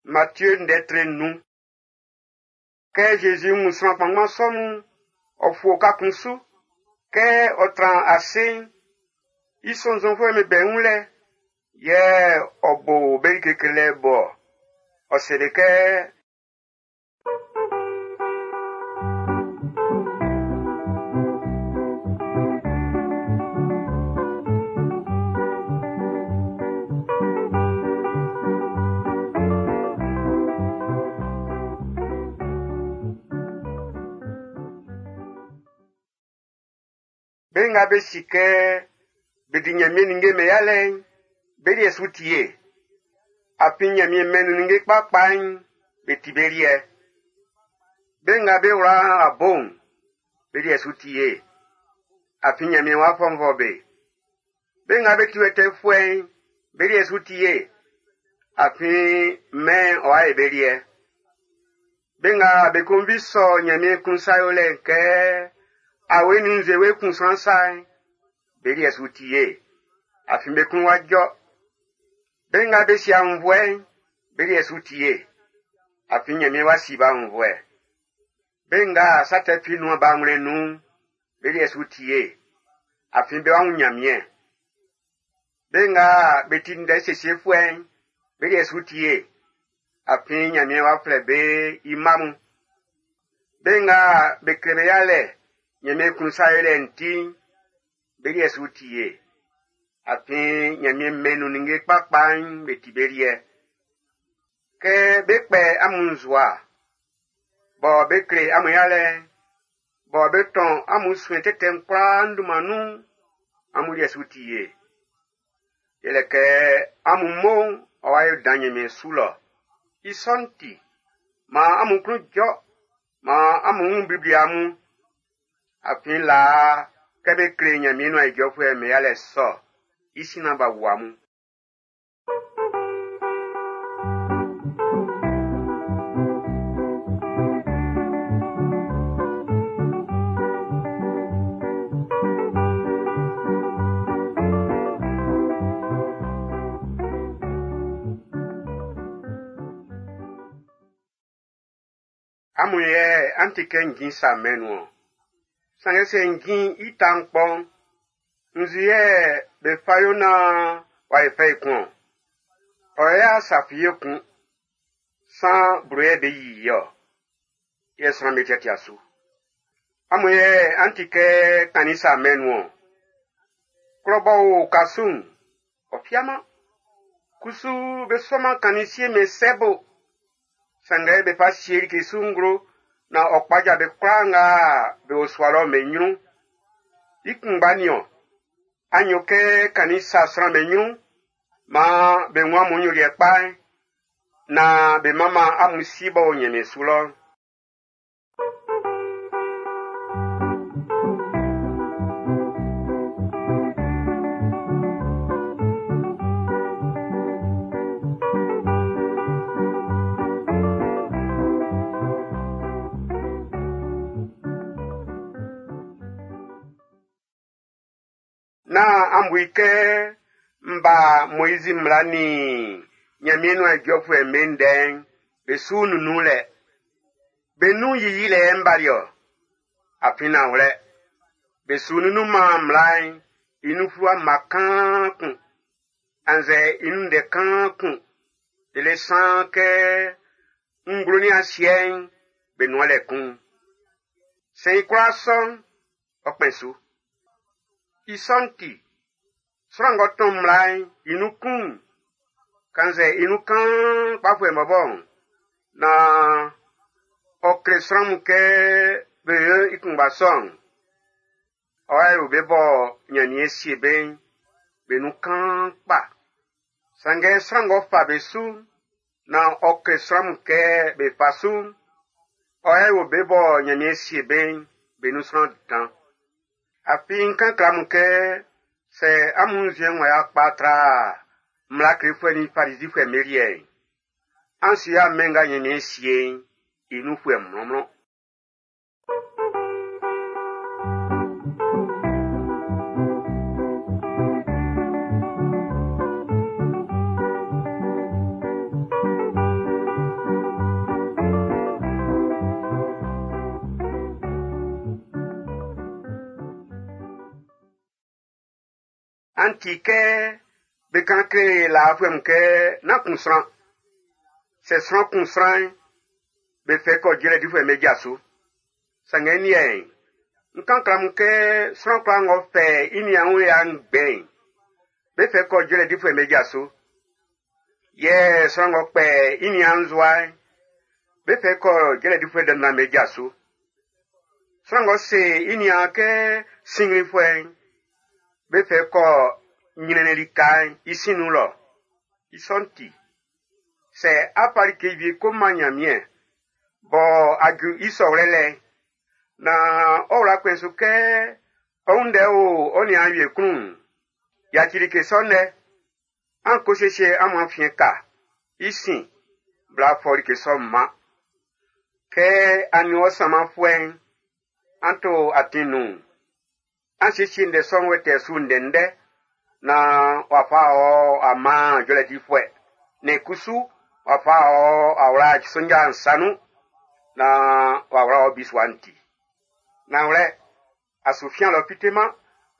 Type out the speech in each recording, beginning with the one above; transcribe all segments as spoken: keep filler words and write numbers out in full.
Matthieu ndɛ tre nnun. Kɛ Zezi wun sran kpanngban sɔ mun'n, ɔ fu oka kun su. Kɛ ɔ tran ase'n, i sɔnnzɔnfuɛ'm be bɛ i wun lɛ, yɛ ɔ bo be like klelɛ bo-ɔ. Ɔ se be kɛ: Be nga be si kɛ be di Ɲanmiɛn ninnge'm be yalɛ'n, be liɛ su ti ye. Afin Ɲanmiɛn mɛn'n nun ninnge kpakpa'n, be ti be liɛ. Be nga be wla a bo'n, be liɛ su ti ye. Afin Ɲanmiɛn w'a fɔnvɔ be. Be nga be ti wɛtɛɛfuɛ'n, be liɛ su ti ye. Afin mɛn'n ɔ'a ye be liɛ. Be nga be konvi sɔ Ɲanmiɛn klun sa yolɛ'n kɛ awe nin nzuewe kun sran sa'n, be liɛ su ti ye. Afin be klun wá jɔ́. Be nga be si aunnvuɛ'n, be liɛ su ti ye. Afin Ɲanmiɛn wá sí be aunnvuɛ. Be nga sa tɛ fi nunman be awlɛn'n nun'n, be liɛ su ti ye. Afin bé wá wún Ɲanmiɛn. Be nga be ti ndɛ siesiefuɛ'n, be liɛ su ti ye. Afin Ɲanmiɛn wá flɛ́ be i mma mun. Be nga be kle be yalɛ Ɲanmiɛn klun sa yolɛ'n ti'n, be liɛ su ti ye. Afin Ɲanmiɛn mɛn'n nun ninnge kpakpa'n be ti be liɛ. Kɛ be kpɛ amun nzua, bɔ be kle amun yalɛ'n, bɔ be tɔn amun suɛn tɛtɛ'n kwlaa n dunman nun'n, amun liɛ su ti ye. Yɛlɛ kɛ amun mo'n ɔ wa yo dan Ɲanmiɛn su lɔ. I sɔ'n ti, maan amun klun jɔ, maan amun wun blibli amun. Afin laa, kɛ be kle Ɲanmiɛn nuan ijɔfuɛ'm be yalɛ sɔ, i sin naan b'a wu amun. Amun yɛ an ti kɛ njin sa mɛn'n nun-ɔn. Sanngɛ sɛ njin'n i ta'n kpɔ'n, nzu yɛ be fa yo naan w'a yo fɛ ekun-ɔn? Ɔ y'a sa fi ye kun. San blo yɛ be yi i-ɔ, yɛ sran'm be tiatia su. Amun yɛ an ti kɛ kannin sa mɛn'n nun-ɔn. Klɔ b'ɔ o oka su'n, ɔ fiaman. Kusu be sɔman kannin siemɛn sɛ bo. Sanngɛ be fa sie like su nglo naan ɔ kpaja be kwlaa nga be o sua lɔ'n be ɲrun. I kunngba niɔn, an yo kɛ kannin sa sran'm be ɲrun, maan be wun amun nyoliɛ kpa'n, naan be manman amun si b'ɔ o Ɲanmiɛn su lɔ'n. Nán an bu i kɛ n ba Moizi mmla nin Ɲanmiɛn nuan ijɔfuɛ'm be ndɛ'n be su nunnunlɛ. Be nun yiyilɛ yɛ n bali-ɔ. Afin nanwlɛ, be su nunnunman mmla'n i nun fluwa mma kaan kun, annzɛ i nun ndɛ kaan kun, lele saan kɛ nglo nin asiɛ'n be nuan lɛ kun. Sɛ i kwlaa sɔ'n, ɔ kpɛn su. I sɔ'n ti, sran ng'ɔ tɔn mmla'n i nun kun'n, kannzɛ i nun kaan kpafuɛ'n bɔbɔ'n, naan ɔ kle sran mun kɛ be yo i kunngba sɔ'n, ɔ wa yo be bɔ Ɲanmiɛn sie be'n, be nun kaan kpa. Sanngɛ sran ng'ɔ fa be su'n, naan ɔ kle sran mun kɛ be fa su'n, ɔ wa yo be bɔ Ɲanmiɛn sie be'n, be nun sran dan. Afin n kan kle amun kɛ sɛ amun nzuɛn'n w'a kpa tra mmla klefuɛ nin Farizifuɛ'm be liɛ'n, an su ya mɛn nga Ɲanmiɛn sie'n i nunfuɛ mlɔnmlɔn. An ti kɛ be kan kle laafuɛ'm kɛ nán kun sran. Sɛ sran kun sran'n, be fɛ kɔ jɔlɛ difuɛ'm be ja su. Sanngɛ n liɛ'n, n kan kle amun kɛ sran kwlaa ng'ɔ fɛ i niaan wun ya ngbɛn'n, be fɛ kɔ jɔlɛ difuɛ'm be ja su. Yɛ sran ng'ɔ kpɛ i niaan nzowa'n, be fɛ kɔ jɔlɛ difuɛ dandan'm be ja su. Sran ng'ɔ se i niaan kɛ sinnglinfuɛ'n, be fɛ kɔ ɲrɛnnɛn lika'n i sin nun lɔ. I sɔ'n ti, sɛ a fa like wie ko man Ɲanmiɛn, bɔ a ju i sɔwlɛ lɛ'n, na ɔ wla kpɛn su kɛ ɔ wun ndɛ o ɔ niaan wie klun'n, yaci like sɔ'n lɛ. An ko siesie amun afiɛn ka. I sin, bla fɔ like sɔ'n man. Kɛ a nin ɔ sanmanfuɛ'n, an to atin nun'n, an siesie ndɛ sɔ'n wɛtɛɛ su ndɛndɛ, na w'a fa ɔ a man jɔlɛ difuɛ. Ne kusu w'a fa ɔ a wla sonja nsa nun, na w'a wla ɔ bisua'n ti. Nanwlɛ, a su fian lɔ fiteman,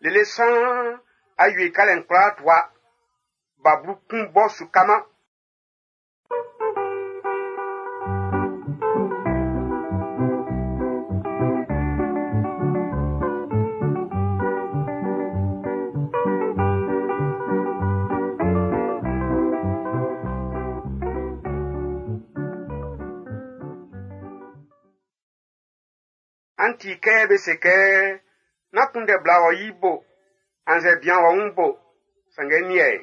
lele saan a wie kalɛ'n kwlaa tua, bablu kun bɔ su kaman. An ti kɛ be se kɛ nán kunndɛ bla wɔ yi bo, annzɛ bian wɔ wun bo. Sanngɛ n liɛ'n,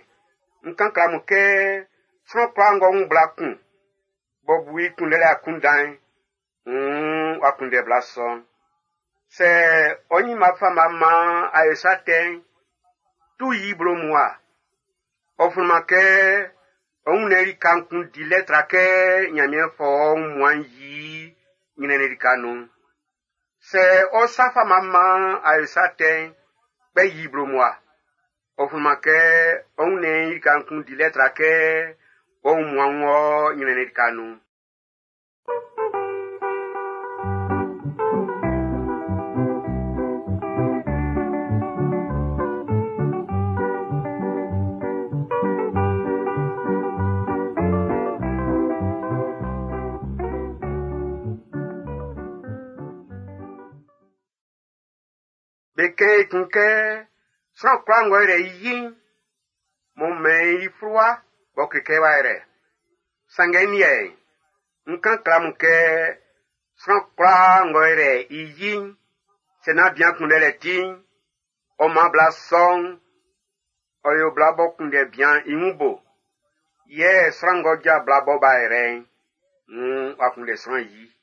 n kan kle amun kɛ sran kwlaa ng'ɔ wun bla kun, b'ɔ bu i kunndɛlɛ akunndan'n, wuun w'a kunndɛ bla sɔ'n. Sɛ ɔ ɲinma fama man a yo sa tɛ'n, tu yi blo mua. Ɔ flunman kɛ ɔ wunnɛn lika'n kun di lɛ tra kɛ Ɲanmiɛn fɔ ɔ wunmuan'n yi ɲrɛnnɛn lika nun. Sɛ ɔ sa fama man a yo sa tɛ'n, kpɛ yi blo mua. Ɔ flunman kɛ ɔ wunnɛn lika'n kun di lɛ tra kɛ ɔ wunmuan'n wɔ ɲrɛnnɛn lika nun. Be kɛn i kun kɛ sran kwlaa ng'ɔ yrɛ i yi'n, m'ɔ mɛn i fluwa b'ɔ kle kɛ w'a yrɛ. Sanngɛ n liɛ'n, n kan kle amun kɛ sran kwlaa ng'ɔ yrɛ i yi'n, sɛ nán bian kunndɛlɛ ti'n, ɔ man bla sɔ'n, ɔ yo bla b'ɔ kunndɛ bian i wun bo. Yɛ sran ng'ɔ ja bla b'ɔ b'a yrɛ'n, wuun w'a kunndɛ sran yi.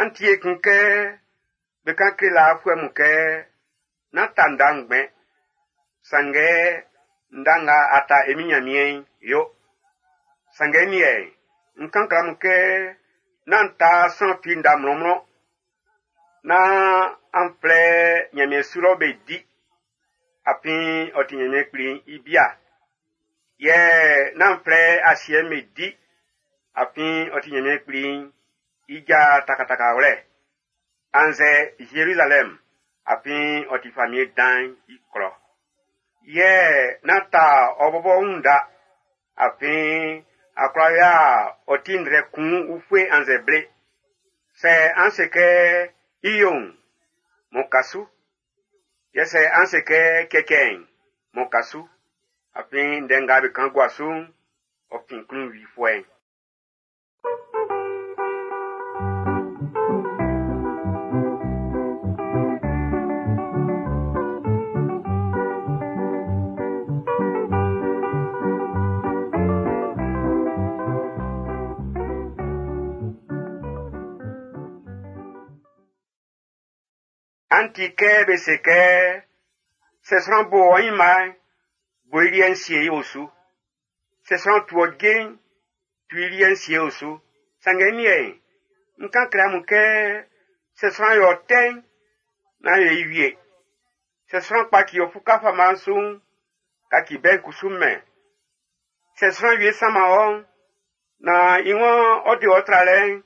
An tie kun kɛ be kan kle laafuɛ mun kɛ nán ta nda ngbɛn. Sanngɛ nda nga a ta e Min Nyanmiɛn'n, yo. Sanngɛ n liɛ'n, n kan kle amun kɛ nán ta sran fi nda mlɔnmlɔn. Nán an flɛ Nyanmiɛn su lɔ be di, afin ɔ ti Nyanmiɛn Kpli'n i bia. Yɛ nán flɛ asiɛ'n be di, afin ɔ ti Nyanmiɛn Kpli'n i ja takatakawlɛ. Annzɛ Zerizalɛm, afin ɔ ti famiɛn dan'n i klɔ. Yɛ nán ta ɔ bɔbɔ wun nda, afin a kwla ya ɔ ti ndrɛ kun ufue annzɛ ble. Sɛ an se kɛ i yo'n, m'ɔ ka su. Yɛ sɛ an se kɛ cɛcɛ'n, m'ɔ ka su. Afin ndɛ nga be kan gua su'n, ɔ fin klunwifuɛ'n. An ti kɛ be se kɛ sɛ sran bo ɔ ɲinma'n, bo i liɛ'n sie i osu. Sɛ sran tu ɔ je'n, tu i liɛ'n sie osu. Sanngɛ n liɛ'n, n kan kle amun kɛ Sɛ sran yɔ tɛ'n, nán yo i wie. Sɛ sran kpaci ɔ fuka fama'n su'n, kaci bɛ'n kusu mɛn. Sɛ sran wie sanman ɔ, na i waan ɔ de ɔ tralɛ'n,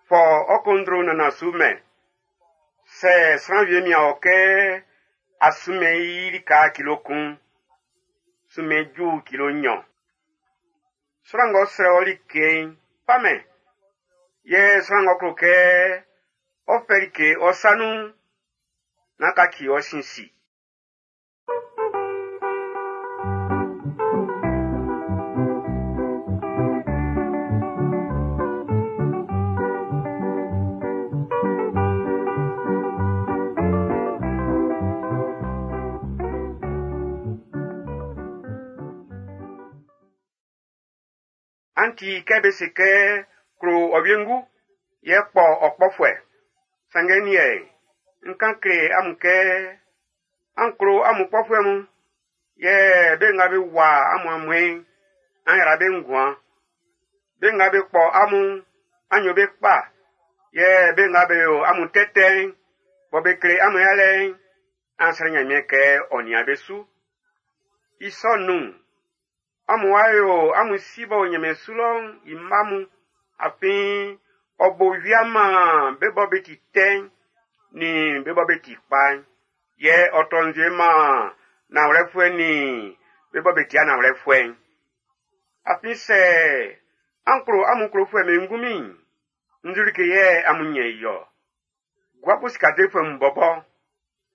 fɔ ɔ kondro nana su mɛn. Sɛ sran wie mian ɔ kɛ a sunmɛn i lika kilo kun, sunmɛn ju kilo nɲɔn. Sran ng'ɔ srɛ ɔ like'n, fa mɛn. Yɛ sran ng'ɔ klo kɛ ɔ fɛ like ɔ sa nun'n, nán kaci ɔ sin si. An ti kɛ be se kɛ klo ɔ wiengu, yɛ kpɔ ɔ kpɔfuɛ. Sanngɛ n liɛ'n, n kan kle amun kɛ an klo amun kpɔfuɛ mun, yɛ be nga be wua amun amuɛn'n, an yra be nguan. Be nga be kpɔ amun'n, an yo be kpa, yɛ be nga be yo amun tɛtɛ'n, bɔ be kle amun yalɛ'n, an srɛ Nyanmiɛn kɛ ɔ nian be su. I sɔ'n nun'n, amun wa yo amun si b'ɔ o nyanmiɛn su lɔ'n i mma mun, afin ɔ bo wia man be bɔ be ti tɛ'n nin be bɔ be ti kpa'n, yɛ ɔ tɔ nzue man nanwlɛfuɛ nin be bɔ be ti'a nanwlɛfuɛ'n. Afin sɛ an klo amun klofuɛ'm be ngunmin'n, nzu like yɛ amun nyɛn i-ɔ? Gua bo sika defuɛ mun bɔbɔ,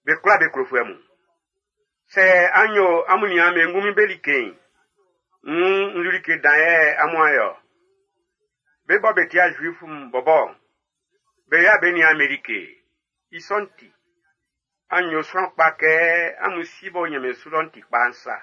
be kwlaa be klofuɛ mun. Sɛ an yo amun niaan'm be ngunmin be like'n, wuun nzu like dan yɛ amun a yɔ. Be bɔ be ti'a Zuif mun bɔbɔ, be ya be niaan'm be like. I sɔ'n ti, an yo sran kpa kɛ amun si b'ɔ o nyanmiɛn su lɔ'n ti kpa'n sa.